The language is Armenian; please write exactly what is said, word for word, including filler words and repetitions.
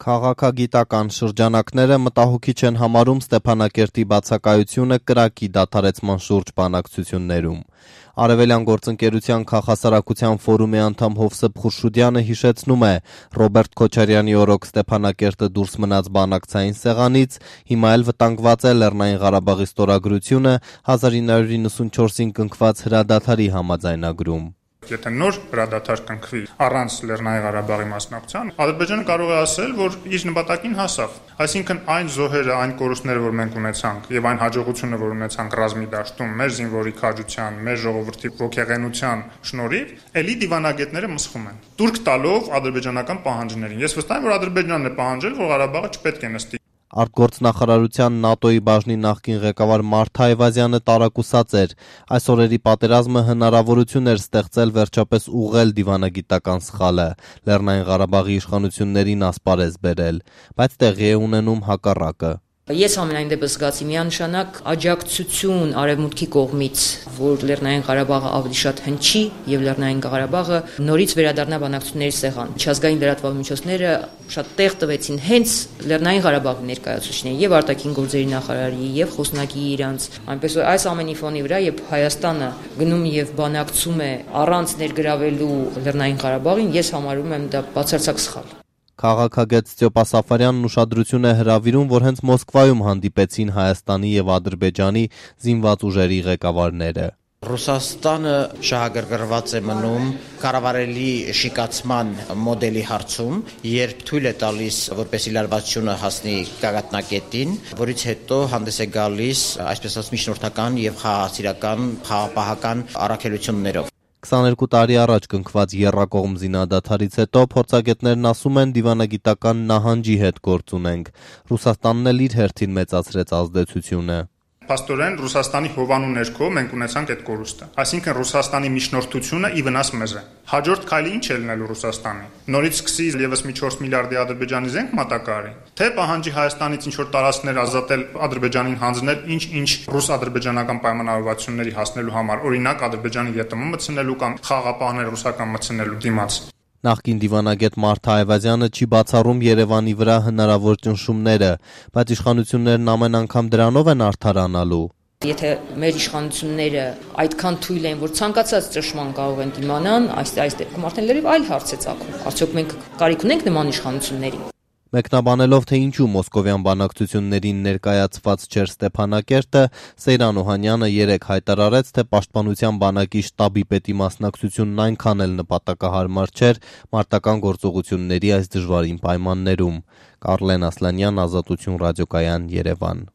Քաղաքագիտական շրջանակները մտահոգիչ են համարում Ստեփանակերտի բացակայությունը կրակի դադարեցման շուրջ բանակցություններում։ Արևելյան գործընկերության քաղաքասարակության ֆորումի անդամ Հովսեփ Խուրշուդյանը հիշեցնում է, Ռոբերտ Քոչարյանի օրոք Ստեփանակերտը դուրս մնաց բանակցային սեղանից, հիմա էլ վտանգված է Լեռնային Ղարաբաղի ստորագրությունը հազար ինը հարյուր իննսունչորսին կնքված հրադադարի համաձայնագրում։ Եթե նոր հրադադար կնքվի առանց Լեռնային Ղարաբաղի մասնակցության, Ադրբեջանը կարող է ասել, որ իր նպատակին հասավ։ Այսինքն այն զոհերը, այն կորուստները, որ մենք ունեցանք, եւ այն հաջողությունը, որ ունեցանք ռազմի դաշտում, մեր զինվորի քաջության, մեր ժողովրդի ողջեղենության շնորհիվ, ելի դիվանագետները մսխում են։ Տուրք տալով ադրբեջանական պահանջներին։ Ես վստահ եմ, որ Ադրբեջանն է պահանջել, որ Ղարաբաղը չպետք է նստի։ Արտգործնախարարության ՆԱՏՕ-ի բաժնի նախկին ղեկավար Մարթ Այվազյանը տարակուսած էր։ Այս օրերի պատերազմը հնարավորություն էր ստեղծել վերջապես ուղղել դիվանագիտական սխալը, Լեռնային Ղարաբաղի իշխանություններին ասպարեզ բերել, բայց տեղի է ունենում հակառակը։ Ես ամենայն դեպս զգացի միանշանակ աջակցություն արևմուտքի կողմից, որ Լեռնային Ղարաբաղը ավելի շատ հնչի եւ Լեռնային Ղարաբաղը նորից վերադառնա բանակցությունների սեղան։ Միջազգային լրատվական միջոցները շատ տեղ տվեցին հենց Լեռնային Ղարաբաղի ներկայացուցիչներին եւ արտաքին գործերի նախարարի եւ խոսնակի իրանց։ Այնպես որ այս ամենի ֆոնի վրա, երբ Հայաստանը գնում եւ բանակցում է առանց ներգրավելու Լեռնային Ղարաբաղին, ես համարում եմ դա բացարձակ սխալ։ Քաղաքագետ Ստյոպա Սաֆարյանն ուշադրություն է հրավիրում, որ հենց Մոսկվայում հանդիպեցին Հայաստանի եւ Ադրբեջանի զինված ուժերի ղեկավարները։ Ռուսաստանը շահագրգռված է մնում կառավարելի շիկացման մոդելի հարցում, երբ թույլ է տալիս, որպեսզի լարվածությունը հասնի գագաթնակետին, որից հետո հանդես է գալիս, այսպես ասած, միջնորդական եւ խաղաղասիրական, խաղապահական առաքելություններով։ քսաներկու տարի առաջ կնքված եռակողմ զինադադարից հետո փորձագետներն ասում են դիվանագիտական նահանջի հետ գործ ունենք։ Ռուսաստանն էլ իր հերթին մեծացրեց ազդեցությունը։ Փաստորեն Ռուսաստանի հովանու ներքո մենք ունեցանք այդ կորուստը։ Այսինքն Ռուսաստանի միջնորդությունը ի վնաս մեզ է։ Հաջորդ քայլը ինչ է լինելու Ռուսաստանի։ Նորից սկսի եւս մի չորս միլիարդի Ադրբեջանի զենք մատակարարի, թե պահանջի Հայաստանից ինչ որ տարածքներ ազատել Ադրբեջանին հանձնել ինչ-ինչ ռուս-ադրբեջանական պայմանավորվածությունների հասնելու համար, օրինակ Ադրբեջանի ԵՏՄ մտցնելու կամ խաղապահներ ռուսական մտցնելու դիմաց։ Նախկին դիվանագետ Մարթ Այվազյանը չի բացառում Երևանի վրա հնարավոր ճնշումները, բայց իշխանություններն ամեն անգամ դրանով են արդարանալու։ Եթե մեր իշխանությունները այդքան թույլ են, որ ցանկացած ճնշման կարող են դիմանան, այս այս դեպքում արդեն լրիվ այլ հարց է ծագում։ Արդյոք մենք կարիք ունենք նման իշխանությունների։ Մեկնաբանելով, թե ինչու մոսկովյան բանակցություններին ներկայացված չէր Ստեփանակերտը, Սեյրան Օհանյանը երեկ հայտարարեց, թե պաշտպանության բանակի շտաբի պետի մասնակցությունն այնքան էլ նպատակահարմար չէր մարտական գործողությունների այս դժվարին պայմաններում։ Կարլեն Ասլանյան, Ազատություն ռադիոկայան, Երևան։